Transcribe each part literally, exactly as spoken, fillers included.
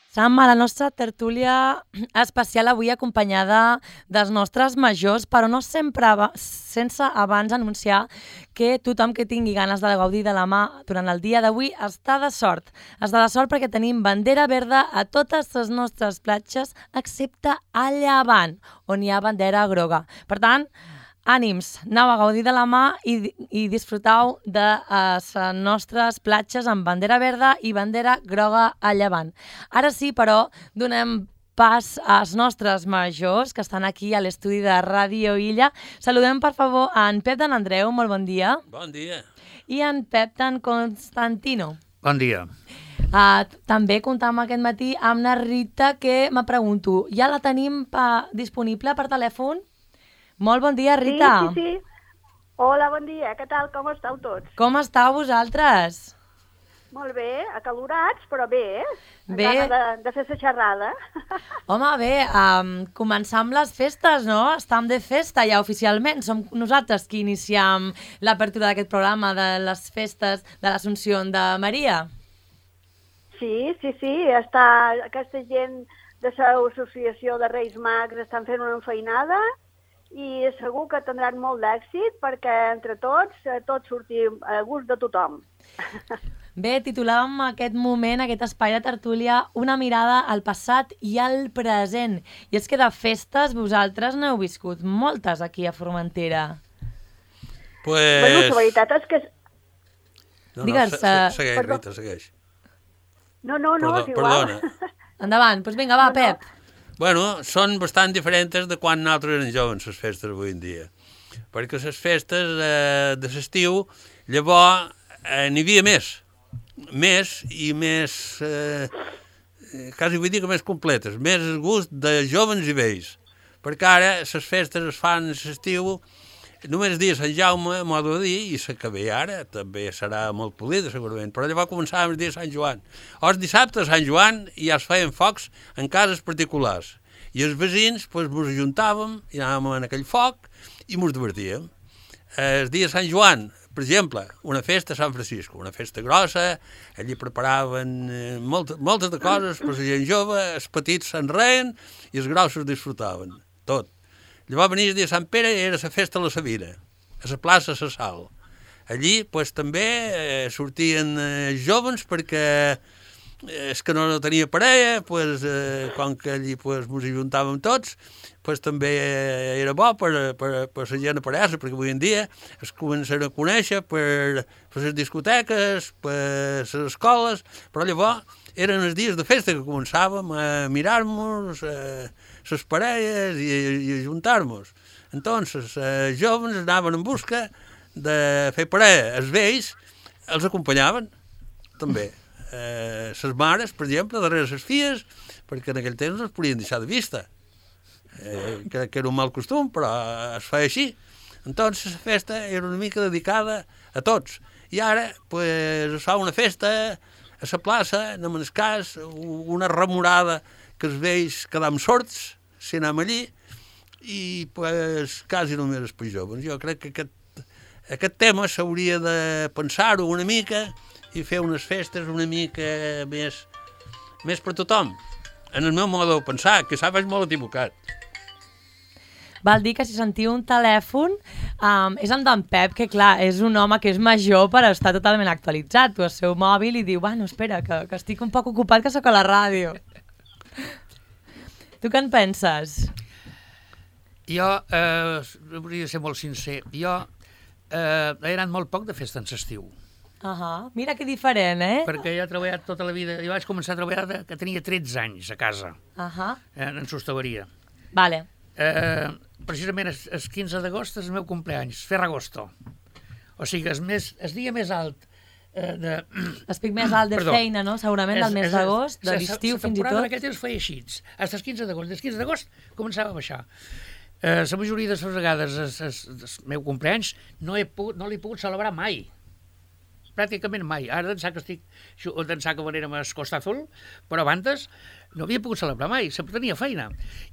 Sam, a la nostra tertúlia especial avui acompanyada dels nostres majors, però no sempre aba- sense abans anunciar que tothom que tingui ganes de gaudir de la mà durant el dia d'avui està de sort. Està de sort perquè tenim bandera verda a totes les nostres platges, excepte a Llevant, on hi ha bandera groga. Per tant, ànims, aneu a gaudir de la mà i, i disfrutau de les nostres platges amb bandera verda i bandera groga a Llevant. Ara sí, però, donem pas als nostres majors que estan aquí a l'estudi de Ràdio Illa. Saludem, per favor, a en Pep d'en Andreu, molt bon dia. Bon dia. I en Pep d'en Constantino. Bon dia. Uh, també comptam aquest matí amb la Rita, que me pregunto, ja la tenim pa, disponible per telèfon? Molt bon dia, Rita. Sí, sí, sí. Hola, bon dia. Què tal? Com esteu tots? Com estàu vosaltres? Molt bé, acalorats, però bé, eh? Bé. Gana de, de fer la xerrada. Home, bé, um, començar amb les festes, no? Estam de festa ja oficialment. Som nosaltres qui iniciem l'apertura d'aquest programa de les festes de l'Assumpció de Maria. Sí, sí, sí. Està, aquesta gent de l'associació de Reis Mags estan fent una enfeinada i segur que tindran molt d'èxit perquè entre tots, eh, tots sortim a gust de tothom. Bé, titulàvem aquest moment, aquest espai de tertúlia, una mirada al passat i al present. I és que de festes vosaltres n'heu viscut moltes aquí a Formentera. Pues... Bueno, la veritat és que... No, no, Digues, se- se- eh, segueix, perdó. Rita, segueix. No, no, no, Perdó, és igual. perdona. Endavant, doncs vinga, va, No, no. Pep. Bueno, són bastant diferents de quan nosaltres érem joves, les festes avui en dia. Perquè les festes eh, de l'estiu, llavors eh, n'hi havia més. Més i més, eh, eh, quasi vull dir que més completes, més el gust de joves i vells. Perquè ara les festes es fan a l'estiu, només el dia de Sant Jaume, a modo de dir, i la que ve ara també serà molt polida, segurament, però llavors començàvem el dia de Sant Joan. Els dissabtes a Sant Joan ja es feien focs en cases particulars, i els veïns pues, ens ajuntàvem i anàvem en aquell foc i ens divertíem. El dia de Sant Joan, per exemple, una festa a Sant Francisco, una festa grossa, allí preparaven eh, molt, moltes de coses per la gent jove, els petits se'n reien i els grossos disfrutaven, tot. Llavors venia el dia de Sant Pere i era la festa a la Sabina, a la plaça La Sal. Allí pues, també eh, sortien eh, joves perquè eh, és que no tenia parella, pues, eh, com que allí pues, ens ajuntàvem tots, pues, també eh, era bo per, per, per la gent aparèixer, perquè avui en dia es comencen a conèixer per, per les discoteques, per les escoles, però llavors eren els dies de festa que començàvem a mirar-nos, eh, les parelles i, i a juntar-nos. Entonces, els joves anaven en busca de fer parella. Els vells els acompanyaven, també. Eh, les mares, per exemple, darrere les filles, perquè en aquell temps no es podien deixar de vista. Eh, que, que era un mal costum, però es feia així. Entonces, la festa era una mica dedicada a tots. I ara, pues, es fa una festa a la plaça, anem en el cas, una remorada que els vells quedam sords, si anem allí, i pues, quasi només els per joves. Jo crec que aquest, aquest tema s'hauria de pensar-ho una mica i fer unes festes una mica més, més per tothom. En el meu modo de pensar, que s'ha fet molt equivocat. Val dir que si sentiu un telèfon um, és amb d'en Pep, que clar, és un home que és major però està totalment actualitzat. Tu el seu mòbil i diu, bueno, espera, que, que estic un poc ocupat, que sóc a la ràdio. Tu què en penses? Jo, eh, hauria de ser molt sincer, jo eh, he anat molt poc de festa en l'estiu, Uh -huh. Mira que diferent, eh? perquè jo he treballat tota la vida, jo vaig començar a treballar de, que tenia tretze anys a casa, Uh -huh. eh, en sostaleria. Vale. Eh, precisament el, el quinze d'agost és el meu cumpleaños, Ferragosto. O sigui, el, més, el dia més alt eh, de... El pic més alt de Perdó. feina, no? Segurament del mes d'agost, de l'estiu fins i La temporada tot. en aquell temps feia així, fins el quinze d'agost. Des quinze d'agost començava a baixar. Eh, la majoria de les vegades el, el, el meu cumpleaños no he pogut, no l'he pogut celebrar mai. pràcticament mai. Ara d'ençà que estic, d'ençà que venérem a Escostazol, però abans no havia pogut celebrar mai, sempre tenia feina.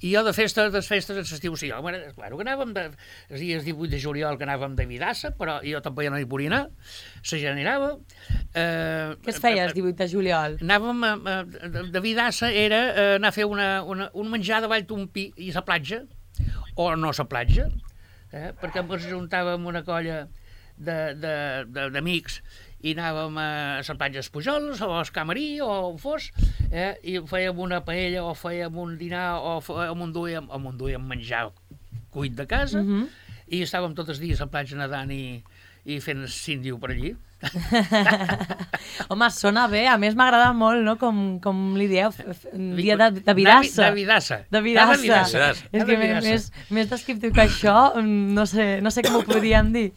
I jo de festes, de festes, en l'estiu, sí, home, claro que anàvem, de, els dies divuit de juliol que anàvem de Vidassa, però jo tampoc ja no hi podia anar, la gent anirava. Eh, Què es feia el divuit de juliol? Anàvem, a, de, de Vidassa era eh, anar a fer una, una, un menjar de Valltompí i a la platja, o no a la platja, eh, perquè ens juntàvem una colla d'amics i anàvem a les platges Pujols o al Camarí o on fos, eh, i fèiem una paella o fèiem un dinar o m'enduíem o m'enduíem menjar cuit de casa, uh-huh. i estàvem tots els dies a la platja nedant i, i fent síndiu per allí. Home, sona bé, a més m'agrada molt, no?, com, com li dieu, dia de, de Vidassa. De Vidassa. De Vidassa. De Vidassa. És que més, més descriptiu que això, no sé, no sé com ho podríem dir.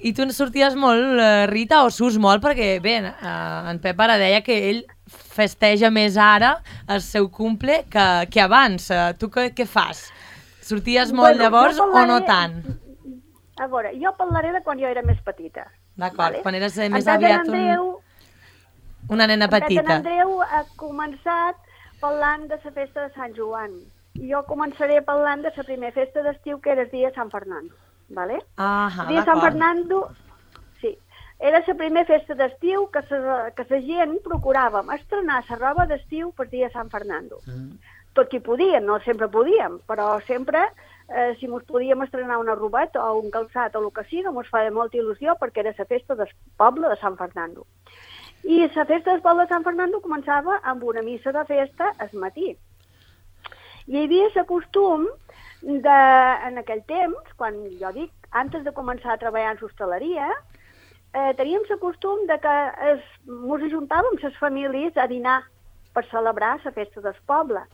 I tu sorties molt, Rita, o surts molt, perquè, bé, en Pep ara deia que ell festeja més ara el seu cumple que, que abans. Tu què, què fas? Sorties molt bueno, llavors parlaré, o no tant? A veure, jo parlaré de quan jo era més petita. D'acord, vale? Quan eres més en aviat Andreu, un... una nena petita. En Andreu ha començat parlant de la festa de Sant Joan. Jo començaré parlant de la primera festa d'estiu, que era el dia de Sant Fernando. Vale? Ah, el dia de Sant Fernando, sí, era la primera festa d'estiu que la que gent procuràvem estrenar la roba d'estiu per dia de Sant Fernando. Mm. Tot qui podien, no sempre podíem, però sempre, eh, si mos podíem estrenar una robeta o un calçat o el que sigui, mos feia molta il·lusió perquè era la festa del poble de Sant Fernando. I la festa del poble de Sant Fernando començava amb una missa de festa al matí. Hi havia el costum de, en aquell temps, quan jo dic, antes de començar a treballar en l'hostaleria, eh, teníem el costum de que es, mos ajuntàvem les famílies a dinar per celebrar la festa del poble.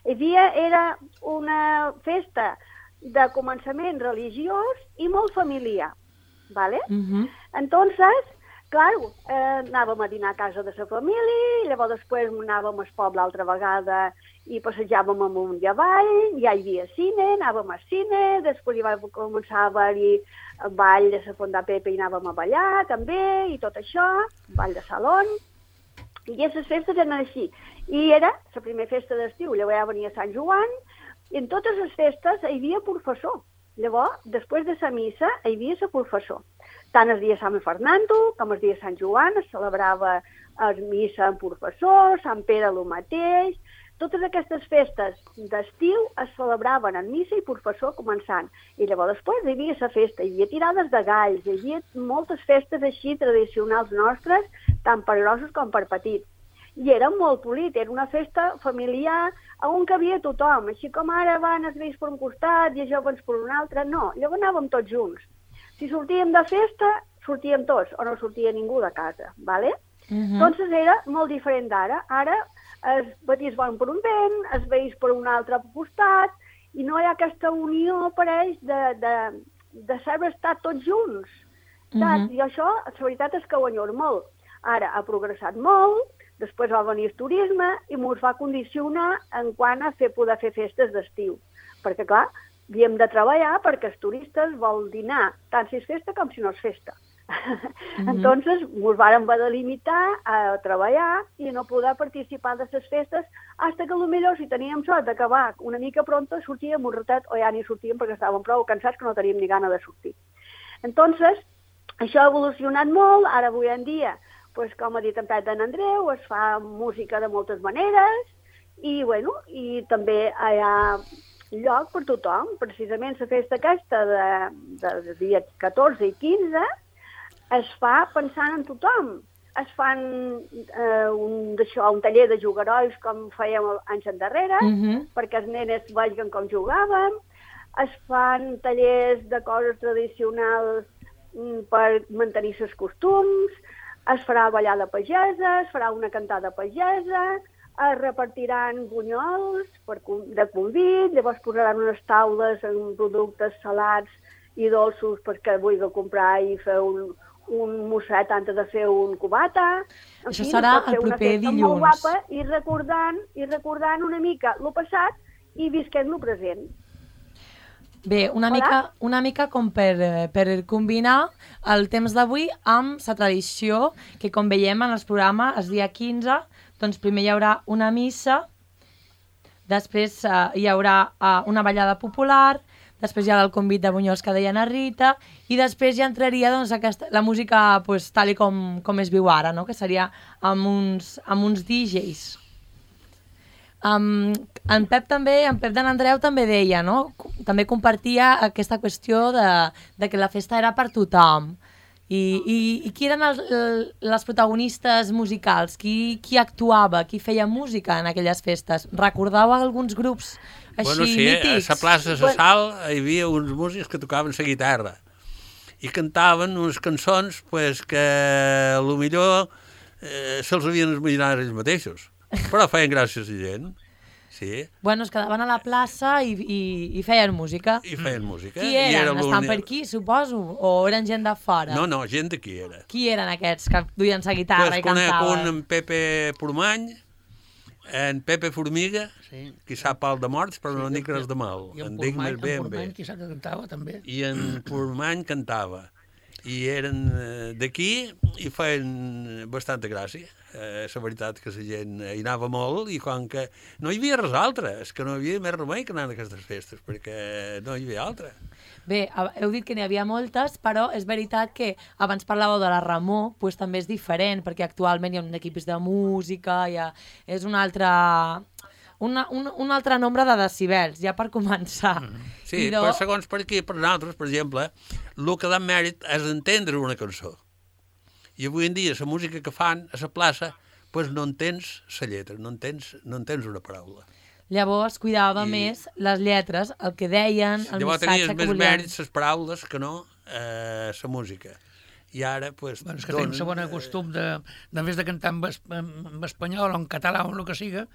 Hi havia, era una festa de començament religiós i molt familiar, ¿vale? Uh-huh. Entonces, claro, eh, anàvem a dinar a casa de la família, i llavors després anàvem al poble altra vegada i passejàvem amunt i avall, ja hi havia cine, anàvem al cine, després hi va començar a haver-hi ball de la Fonda Pepe i anàvem a ballar també, i tot això, ball de salón, i aquestes festes eren així. I era la primera festa d'estiu, llavors ja venia Sant Joan, i en totes les festes hi havia professor. Llavors, després de la missa, hi havia la professor. Tant el dia de Sant Fernando com el dia de Sant Joan es celebrava la missa amb professor, Sant Pere el mateix. Totes aquestes festes d'estiu es celebraven en missa i professor començant. I llavors després hi havia la festa, hi havia tirades de galls, hi havia moltes festes així tradicionals nostres, tant per grossos com per petits. I era molt polit, era una festa familiar on cabia tothom, així com ara van els vells per un costat i els joves per un altre, no, llavors anàvem tots junts. Si sortíem de festa, sortíem tots, o no sortia ningú de casa, ¿vale? Uh-huh. Entonces era molt diferent d'ara. Ara els petits van per un vent, els vells per un altre costat, i no hi ha aquesta unió per ells de, de, de saber estar tots junts. Uh-huh. I això, la veritat és que ho enyoro molt. Ara ha progressat molt, després va venir el turisme i ens va condicionar en quant a fer, poder fer festes d'estiu. Perquè, clar, havíem de treballar perquè els turistes vol dinar tant si és festa com si no és festa. Mm-hmm. Entonces, ens vàrem haver de limitar a treballar i no poder participar de les festes fins que potser si teníem sort d'acabar una mica pronta sortíem un ratet o ja ni sortíem perquè estàvem prou cansats que no teníem ni gana de sortir. Entonces, això ha evolucionat molt, ara avui en dia, pues, com ha dit en Pep d'en Andreu, es fa música de moltes maneres i, bueno, i també hi ha lloc per tothom. Precisament la festa aquesta de, de, de dia catorze i quinze es fa pensant en tothom. Es fan eh, un, això, un taller de jugarols com fèiem anys endarrere, uh-huh. perquè els nenes vegin com jugàvem. Es fan tallers de coses tradicionals per mantenir els costums. Es farà ballar de pagesa, es farà una cantada pagesa, es repartiran bunyols per, de convit, llavors posaran unes taules amb productes salats i dolços perquè vulgui comprar i fer un, un mosset antes de fer un cubata. En Això fi, serà el proper dilluns. Molt guapa, i recordant, i recordant una mica el passat i visquent el present. Bé, una Hola? mica, una mica com per, eh, per combinar el temps d'avui amb la tradició que, com veiem en el programa, el dia quinze, doncs primer hi haurà una missa, després eh, hi haurà eh, una ballada popular, després hi haurà el convit de Bunyols que deia na Rita, i després ja entraria doncs, aquesta, la música pues, tal i com, com es viu ara, no? Que seria amb uns, amb uns D Js. Um, en Pep també, en Pep d'en Andreu també deia, no? També compartia aquesta qüestió de, de que la festa era per tothom. I, i, i qui eren els, les protagonistes musicals? Qui, qui actuava? Qui feia música en aquelles festes? Recordeu alguns grups així bueno, sí, mítics? a la plaça de la Sal hi havia uns músics que tocaven la guitarra i cantaven unes cançons pues, que potser eh, se'ls havien imaginat ells mateixos. Però feien gràcies a gent, sí. Bueno, es quedaven a la plaça i, i, i feien música. I feien música. Qui I eren? era Estan per aquí, suposo? O eren gent de fora? No, no, gent d'aquí era. Qui eren aquests que duien la guitarra pues i cantaven? Conec un en Pepe Pormany, en Pepe Formiga, Sí. qui sap pal de morts, però sí, no en dic res de mal. I en En dic Portmany, més bé en en bé. Portmany, qui sap que cantava, també. I en Pormany cantava. I eren eh, d'aquí i feien bastanta gràcia. Eh, la veritat que la gent hi anava molt i com que no hi havia res altre, és que no hi havia més remei que anar a aquestes festes, perquè no hi havia altra. Bé, heu dit que n'hi havia moltes, però és veritat que abans parlàveu de la Ramó, doncs també és diferent, perquè actualment hi ha un equips de música, hi ha, és un altre, una, un, un altre nombre de decibels, ja per començar. Mm. Sí, I do... però segons per aquí, per nosaltres, per exemple, el que dà mèrit és entendre una cançó. I avui en dia la música que fan a la plaça, pues no entens la lletra, no entens, no entens una paraula. Llavors cuidava I... més les lletres, el que deien, el Llavors missatge tenies que més volien. mèrits les paraules que no eh, la música. I ara, pues... Bueno, és que tenim el bon costum de, de, en vez de cantar en, es, en espanyol o en català o en el que siga,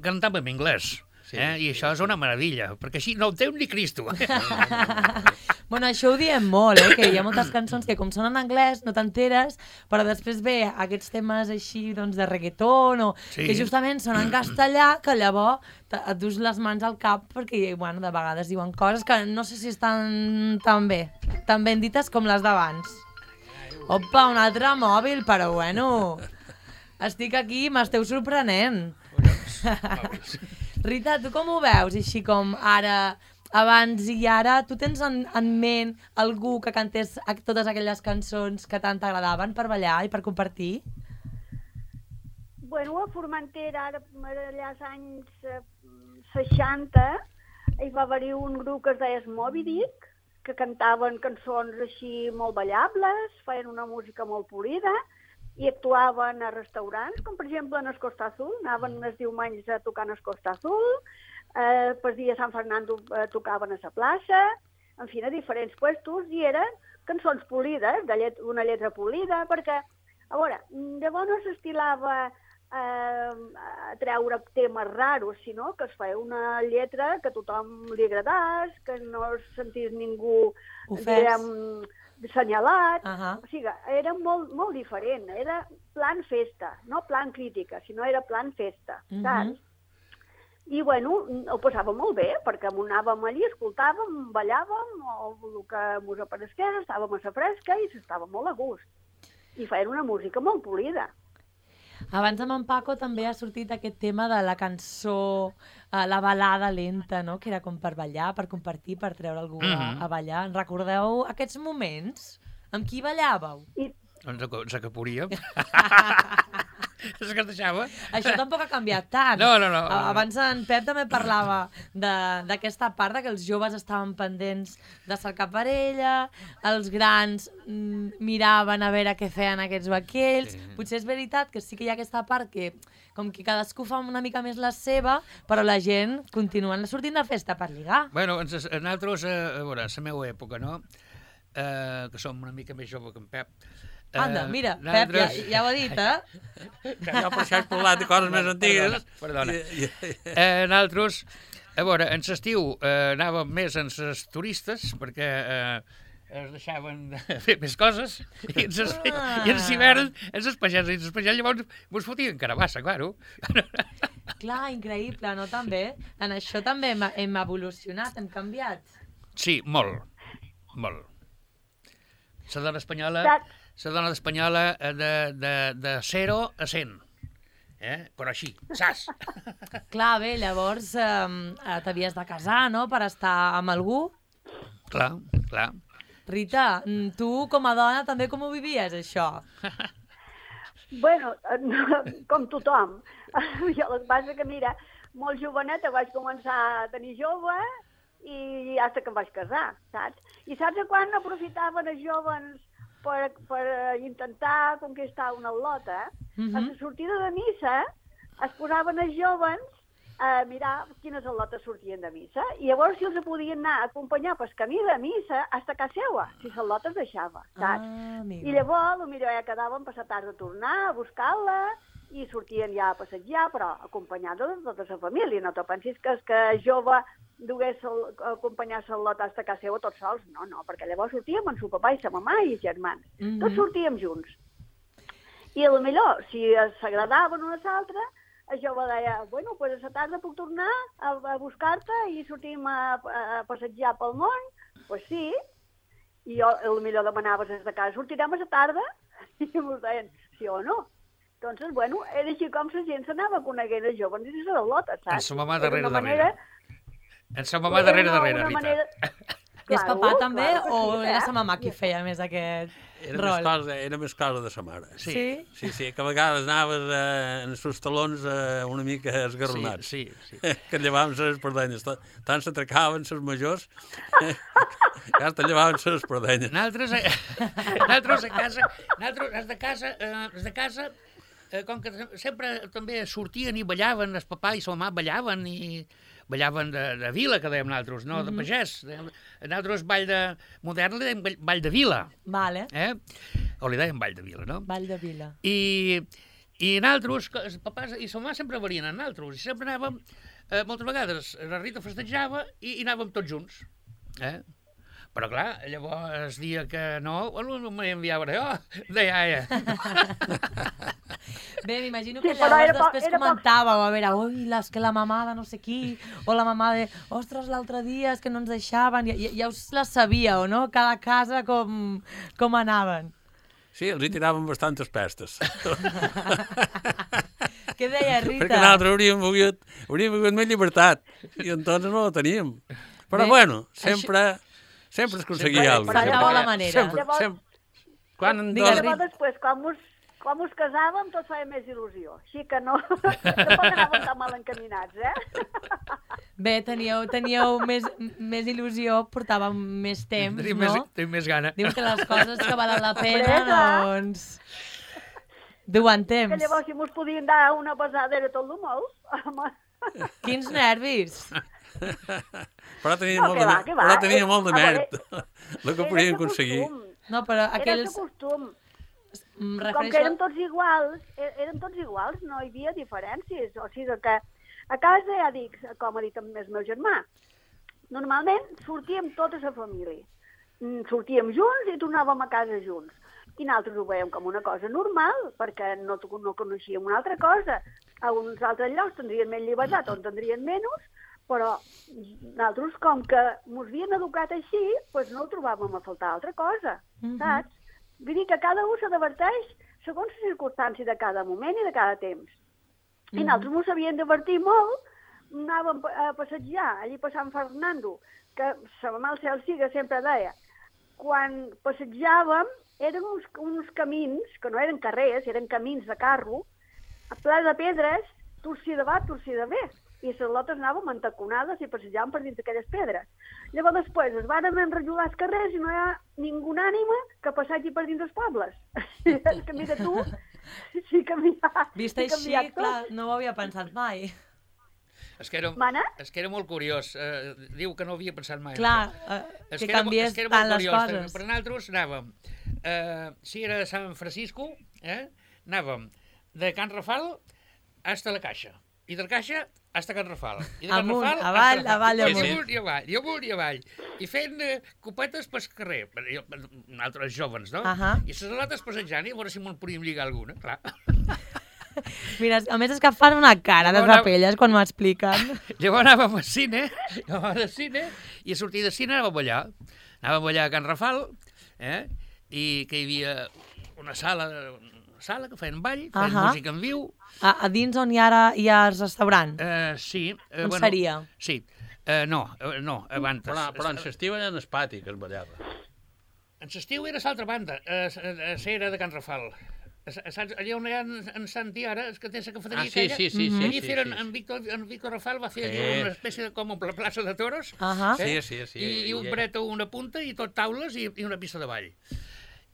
cantar en anglès. Sí, eh? I això és una meravella, perquè així no ho entén ni Cristo. Bueno, això ho diem molt, eh? Que hi ha moltes cançons que com són en anglès no t'enteres, però després ve aquests temes així doncs, de reggaeton o Sí. que justament són en castellà, que llavors et dus les mans al cap perquè bueno, de vegades diuen coses que no sé si estan tan bé, tan ben dites com les d'abans. Opa, un altre mòbil, però bueno, estic aquí i m'esteu sorprenent. Rita, tu com ho veus, així com ara, abans i ara? Tu tens en, en ment algú que cantés totes aquelles cançons que tant t'agradaven per ballar i per compartir? Bueno, a Formentera, ara, allà als anys eh, seixanta, hi va haver un grup que es deia Moby Dick, que cantaven cançons així molt ballables, feien una música molt polida, i actuaven a restaurants, com per exemple en el Costa Azul, anaven els diumenys a tocar en el Costa Azul, eh, per dia Sant Fernando eh, tocaven a la plaça, en fi, a diferents puestos, i eren cançons polides, de llet una lletra polida, perquè, a veure, llavors no s'estilava eh, a treure temes raros, sinó que es feia una lletra que a tothom li agradés, que no es sentís ningú, diguem, assenyalat. Uh -huh. O sigui, era molt, molt diferent. Era plan festa, no plan crítica, sinó era plan festa, Uh -huh. saps? I, bueno, ho passàvem molt bé, perquè anàvem allí, escoltàvem, ballàvem, o el que mos apareixés, estàvem a la fresca i s'estava molt a gust. I feien una música molt polida. Abans amb en Paco també ha sortit aquest tema de la cançó, eh, la balada lenta, no? Que era com per ballar, per compartir, per treure algú mm -hmm. a, a ballar. En recordeu aquests moments? Amb qui ballàveu? I... Ens, ens acaporíem. És que es deixava. Això tampoc ha canviat tant. No, no, no. Abans en Pep també parlava d'aquesta part de que els joves estaven pendents de cercar parella, els grans mm, miraven a veure què feien aquests vaquells. Sí. Potser és veritat que sí que hi ha aquesta part que com que cadascú fa una mica més la seva, però la gent continua sortint de festa per lligar. Bueno, ens, nosaltres, a veure, a la meva època, no? Eh, que som una mica més jove que en Pep. Anda, Eh, mira, nosaltres... Pep, ja, ja ho ha dit, eh? Jo per això he parlat de coses més antigues. Perdona, perdona. Eh, nosaltres, a veure, en l'estiu eh, anàvem més en les turistes, perquè eh, es deixaven de fer més coses, i en ses, Ah. i en l'hivern, en les pagès, i en les pagès llavors mos fotien carabassa, claro. Clar, increïble, no? També. En això també hem, hem evolucionat, hem canviat. Sí, molt, molt. La dona espanyola, Saps? la dona espanyola eh, de, de, de zero a cent. Eh? Però així, saps? Clar, bé, llavors eh, t'havies de casar, no?, per estar amb algú. Clar, clar. Rita, mm, tu com a dona també com ho vivies, això? Bueno, no, com tothom. Jo el que passa que, mira, molt joveneta vaig començar a tenir jove i hasta que em vaig casar, saps? I saps a quan aprofitaven els joves per, per intentar conquistar una al·lota? Mhm. A la sortida de missa es posaven els joves a mirar quines al·lotes sortien de missa i llavors si els podien anar a acompanyar pel camí de missa hasta casa seva, si l'al·lota es deixava, saps? Ah, amiga. I llavors, potser ja quedaven per la tarda a tornar a buscar-la i sortien ja a passejar, però acompanyada de tota la família. No te pensis que, que jove dugués acompanyar l'al·lota a casa seva tots sols. No, no, perquè llavors sortíem amb el papà i la mamà i els germans. Mhm. Tots sortíem junts. I a lo millor, si s'agradaven una a l'altra, el jove deia, bueno, pues a la tarda puc tornar a, a buscar-te i sortim a, a passejar pel món? Pues sí. I jo, a lo millor demanava des de casa, sortirem a la tarda? I ens deien, sí o no? Doncs, bueno, era així com la gent s'anava coneguent els joves i les al·lotes, saps? En sa mamà Era darrere, una manera- En sa mamà darrere, era una- darrere, una Rita. manera- I el papà Claro, també, claro que o sí, era eh? sa mamà qui feia més aquest Era més, rol? cosa, era més cosa de sa mare. Sí. Sí? Sí, sí, que a vegades anaves eh, en els talons eh, una mica esgarronats. Sí, sí, Que llevaven les espardenyes. Tant s'atracaven les majors que hasta llevaven les espardenyes. Nosaltres, eh, nosaltres a casa, nosaltres els de casa, eh, els de casa eh, com que sempre també sortien i ballaven, el papà i la mamà ballaven i ballaven de, de vila, que dèiem nosaltres, no de pagès. Dèiem, nosaltres ball de modern li dèiem ball- ball de vila, Vale, eh? O li dèiem ball de vila, no? Vall de Vila. I, i nosaltres, que els papàs i la mamà sempre varien amb nosaltres, i sempre anàvem, eh, moltes vegades la Rita festejava i, i anàvem tots junts. Eh? Però clar, llavors el dia que no, bueno, m'enviava jo, de iaia. Bé, m'imagino Sí, que però llavors era poc- després era poc- comentàveu, a veure, ui, les que la mamà de no sé qui, o la mamà de, ostres, l'altre dia és que no ens deixaven, ja, ja, ja us les sabíeu, no? Cada casa com, com anaven. Sí, els hi tiraven bastantes pestes. Què deia Rita? Perquè nosaltres hauríem volgut, hauríem volgut més llibertat, i entonces no la teníem. Però Bé, bueno, sempre, sempre es aconseguia Sempre- alguna cosa. Faltava la manera. Sempre, Llavors- sempre. Quan en Digues, dos... Rita. Llavors, després, quan mos, quan mos casàvem, tot feia més il·lusió. Així que no, tampoc anàvem tan mal encaminats, eh? Bé, teníeu, teníeu més, més il·lusió, portàvem més temps, Tenim no? més, tenim més gana. Diu que les coses que valen la pena, Hombre, clar. doncs... Duen Que temps. llavors, si mos podien dar una pesada, era tot el molt. Home. Quins nervis. Però tenia, No, molt, que de, va, que va. però tenia Eh, molt de a veure, mèrit el que podien aconseguir. No, però Era aquells... de costum. Em Com que refereixo... érem tots iguals, é- érem tots iguals, no hi havia diferències. O sigui que a casa, ja dic, com ha dit el meu germà, normalment sortíem tota la família. Mm, Sortíem junts i tornàvem a casa junts. I nosaltres ho veiem com una cosa normal, perquè no, no coneixíem una altra cosa. A uns altres llocs tindrien més llibertat o en tindrien menys, però nosaltres, com que ens havien educat així, doncs no ho trobàvem a faltar altra cosa, Mhm. saps? Vull dir que cada un s'adverteix segons les circumstàncies de cada moment i de cada temps. I nosaltres ens havíem divertit molt, anàvem a passejar allí per Sant Fernando, que la mamà al cel siga sempre deia, quan passejàvem eren uns, uns camins, que no eren carrers, eren camins de carro, a ple de pedres, torcí de va, torcí de bé. I les lotes anàvem entaconades i passejàvem per dins d'aquelles pedres. Llavors després es van enrajolar els carrers i no hi ha ningú ànima que passegi per dins dels pobles. És que mira tu, sí que m'hi ha... Vist sí que així, m'hi ha tot. clar, no ho havia pensat mai. És que era, Mana? és que era molt curiós. Eh, diu que no havia pensat mai. en Clar, això. eh, És que era mo- canvies és que era tant molt les curiós. coses. Per nosaltres anàvem, eh, si era San Francisco, eh, anàvem de Can Rafal hasta la Caixa. I de la Caixa hasta Can Rafal. I de Can Amunt, Rafal hasta avall, la- avall, I amunt. amunt i avall, i amunt i avall. I fent eh, copetes pel carrer. Jo, nosaltres joves, no? Ahà. I les alates passejant, i a veure si me'n podíem lligar alguna, clar. Mira, a més és que fan una cara de papelles quan m'ho expliquen. Llavors anàvem al cine, anàvem al cine, i a sortir de cine anàvem allà. Anàvem allà a Can Rafal, eh? I que hi havia una sala, una sala que feien ball, feien Ahà. música en viu. A, a dins on hi ara hi ha el restaurant? Eh, sí. Eh, On seria? Sí. Eh, no, eh, no, abans. Però, però en l'estiu era en el pati que es ballava. En l'estiu era l'altra banda, a la era de Can Rafal. Saps, allà on hi ha en, en Santi ara, és que té la cafeteria Ah, sí, aquella, sí, sí, sí, allí sí, feren, sí. en, Víctor, en Víctor Rafal va fer Sí. allí una espècie de com una plaça de toros, Ahà. Sí, sí, sí. i, i un I- bret a una punta i tot taules i, i una pista de ball.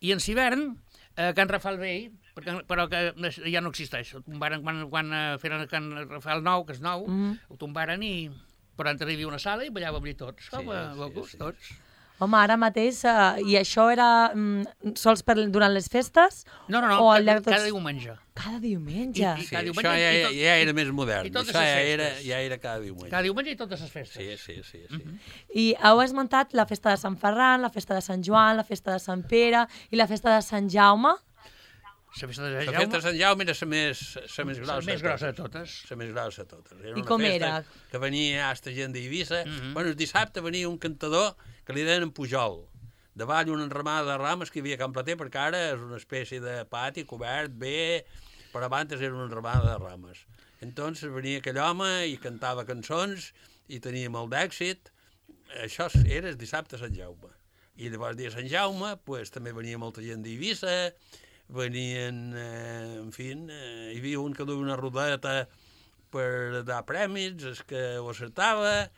I en hivern, a Can Rafal vell, perquè, però que ja no existeix, ho tombaren quan, quan eh, feren Can Rafal nou, que és nou, Mhm. ho tombaren i per tant hi havia una sala i ballàvem allí tots, com a sí, bocos, sí. tots. Home, ara mateix, uh, i això era mm, sols per, durant les festes? No, no, no, O al cada, llarg de tots- cada diumenge. Cada diumenge? I- Sí, cada això diumenge ja, i ja, tot- ja era més modern. i totes Això les ja era, festes. ja era cada diumenge. Cada diumenge i totes les festes. Sí, sí, sí. sí. I heu esmentat la festa de Sant Ferran, la festa de Sant Joan, la festa de Sant Pere i la festa de Sant Jaume. La festa de La Jaume, festa de Sant Jaume era la més, la més grossa, la més grossa de totes. La més grossa de totes. Era I una com festa era? que venia hasta gent d'Eivissa. Mhm. Bueno, el dissabte venia un cantador que li deien en Pujol. Davall una enramada de rames que hi havia a Can Plater, perquè ara és una espècie de pati cobert bé, però abans era una enramada de rames. Entonces venia aquell home i cantava cançons i tenia molt d'èxit. Això era el dissabte a Sant Jaume. I llavors dia de Sant Jaume pues, també venia molta gent d'Eivissa, venien, eh, en fi, eh, hi havia un que duia una rodeta per dar premis, el que ho acertava,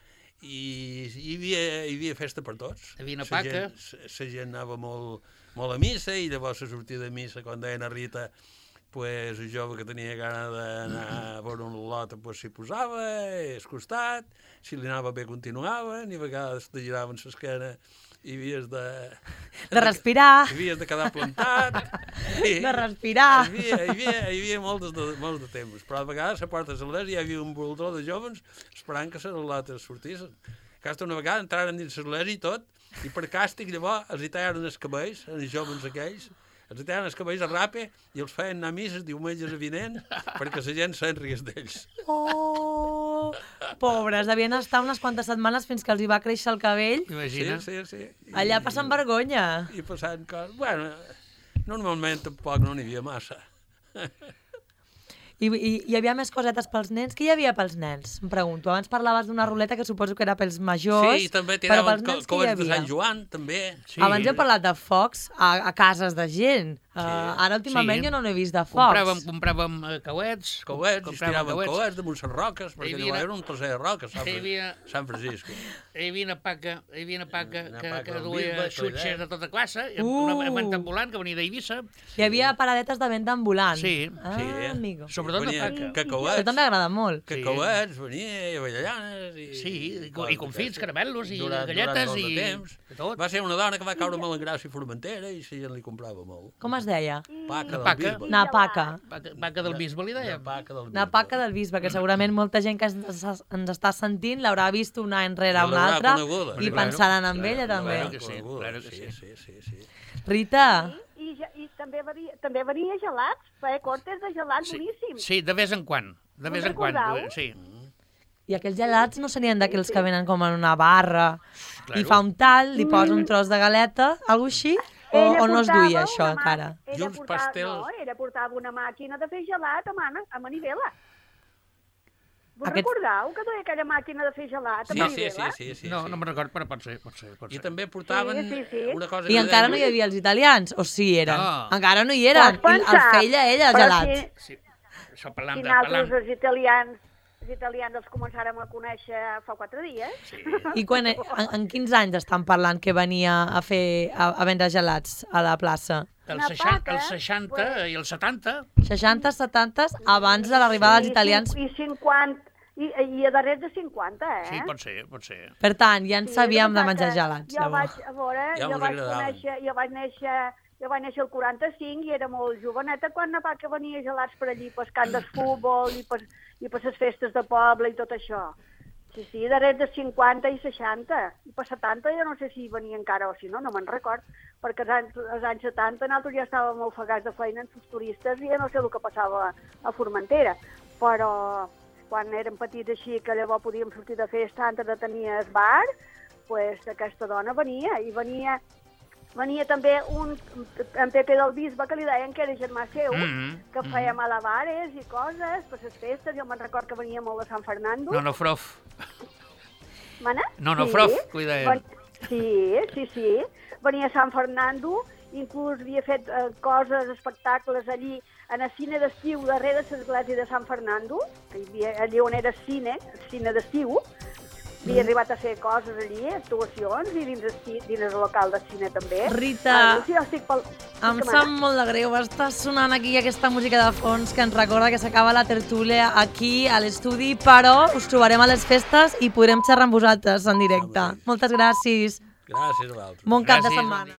i hi havia, hi havia festa per tots. Hi havia una La paca. gent- La gent anava molt, molt a missa, i llavors a sortir de missa, quan deien a Rita, pues, el jove que tenia gana d'anar a veure un lot, pues, s'hi posava, al costat, si li anava bé continuaven, i a vegades te giraven l'esquena i havies de... De respirar, Hi havies de quedar plantat. I, de respirar. Hi havia, hi havia, hi havia molts, de, molts de temps, però a vegades a portes de l'església hi havia un voltor de joves esperant que les lotes sortissin. Aquesta una vegada entraren dins l'església i tot, i per càstig llavors els hi tallaren els cabells, els joves aquells, els hi tallaren els cabells a rape i els feien anar a misses diumenges vinent perquè la gent se'n ries d'ells. Oh, pobres, devien estar unes quantes setmanes fins que els hi va créixer el cabell. Sí, Imagina. sí, sí. I, Allà passen vergonya. I passant coses... Bueno, normalment tampoc no n'hi havia massa. I, i hi havia més cosetes pels nens? Què hi havia pels nens? Em pregunto. Abans parlaves d'una ruleta que suposo que era pels majors, Sí, i també però tiraven pels co nens què hi coets de havia? Sant Joan, també. Sí. Abans heu parlat de focs a, a cases de gent. Uh, ara últimament Sí. jo no n'he vist de focs. Compràvem, compràvem eh, cauets. Coets, i es compràvem tiraven coets damunt les roques, perquè Hi hi havia- havia un placer de roques, Sant, Hi havia- Sant Francisco. Hi havia una paca, hi havia una paca Una que, paca que del duia bisbe, xutxes Claret. de tota classe, i Uh! una venta ambulant que venia d'Eivissa. Hi havia paradetes de venda ambulant. Sí, ah, sí. amigo. Sobretot de Venia paca. cacauets, Això també agrada molt. que Sí. cauets, venia, i avellanes, i... Sí, i, co- i confits, caramelos, i durant, galletes, durant molt de i temps. de tot. Va ser una dona que va caure molt en gràcia i Formentera, i la gent li comprava molt. Com es deia? Paca del paca. bisbe. Napaca. Paca, paca del bisbe, li Una dèiem. paca del bisbe. Napaca del bisbe, que segurament molta gent que ens, ens està sentint l'haurà vist una enrere I una l'haurà altra coneguda. i Claro. pensaran en ella L'haurà també. Claro que sí, coneguda, claro que sí. sí. Sí, sí, sí. Rita, I, ja- i també, venia, també venia gelats, feia cortes de gelats Sí, boníssims. sí, de vez en quan. De Us vez en quan, recordeu? sí. i aquells gelats no serien d'aquells que venen com en una barra i Claro. fa un tall, li posa un tros de galeta, alguna així? O, Ella o no es portava duia això una mà- encara? I Ella uns portava, pastels. No, ella portava una màquina de fer gelat a, mana, a manivela. Vos Aquest- recordeu que duia aquella màquina de fer gelat a Sí, sí, manivela? sí, sí, sí, No, sí. no me'n recordo, però pot ser, pot ser, pot I ser. també portaven Sí, sí, sí. una cosa... I que encara deien- no hi havia els italians? O sí hi eren? No. Encara no hi eren. Pots I els pensar, feia ella, els però gelats. Si, Sí. Això parlant si de... nosaltres, Parlant... els italians, els italians els començàrem a conèixer fa quatre dies. Sí. I quan, en, en quins anys estan parlant que venia a fer a, a vendre gelats a la plaça? Els Una seixanta, paca, els seixanta pues- i els setanta. seixanta, setanta, abans de l'arribada dels I italians. cin- I cinquanta, i, i a darrere de cinquanta, eh? Sí, pot ser, pot ser. Per tant, ja en Sí, sabíem de el que menjar passa que gelats. Jo vaig, llavors. a veure, Ja jo mos vaig agradaven. conèixer, jo vaig néixer, jo vaig néixer el quaranta-cinc i era molt joveneta quan la paca venia gelats per allí, per camp de futbol i per, i per les festes de poble i tot això. Sí, sí, darrere de cinquanta i seixanta. I per setanta jo no sé si venia encara o si no, no me'n record. Perquè als anys, als anys setanta nosaltres ja estàvem ofegats de feina amb els turistes i ja no sé el que passava a Formentera. Però quan érem petits així, que llavors podíem sortir de festa antes de tenir el bar, pues aquesta dona venia. I venia, venia també un, en Pepe del Bisbe, que li deien que era germà seu, mm -hmm. que feia mm -hmm. malabares i coses per les festes. Jo me'n record que venia molt de Sant Fernando. No, no, Frof. Mana? No, no, sí. Frof, cuida. Ven... Sí, sí, sí. Venia a Sant Fernando, inclús havia fet eh, coses, espectacles allí, en el cine d'estiu, darrere de l'església de Sant Fernando, que hi havia, allí on era cine, el cine d'estiu, havia arribat a fer coses allí, actuacions, i dins el, dins el local de cine també. Rita, ah, sí, jo estic pel... em sap molt de greu, està sonant aquí aquesta música de fons que ens recorda que s'acaba la tertúlia aquí a l'estudi, però us trobarem a les festes i podrem xerrar amb vosaltres en directe. Moltes gràcies. Gràcies a vosaltres. Bon cap de Gràcies. setmana.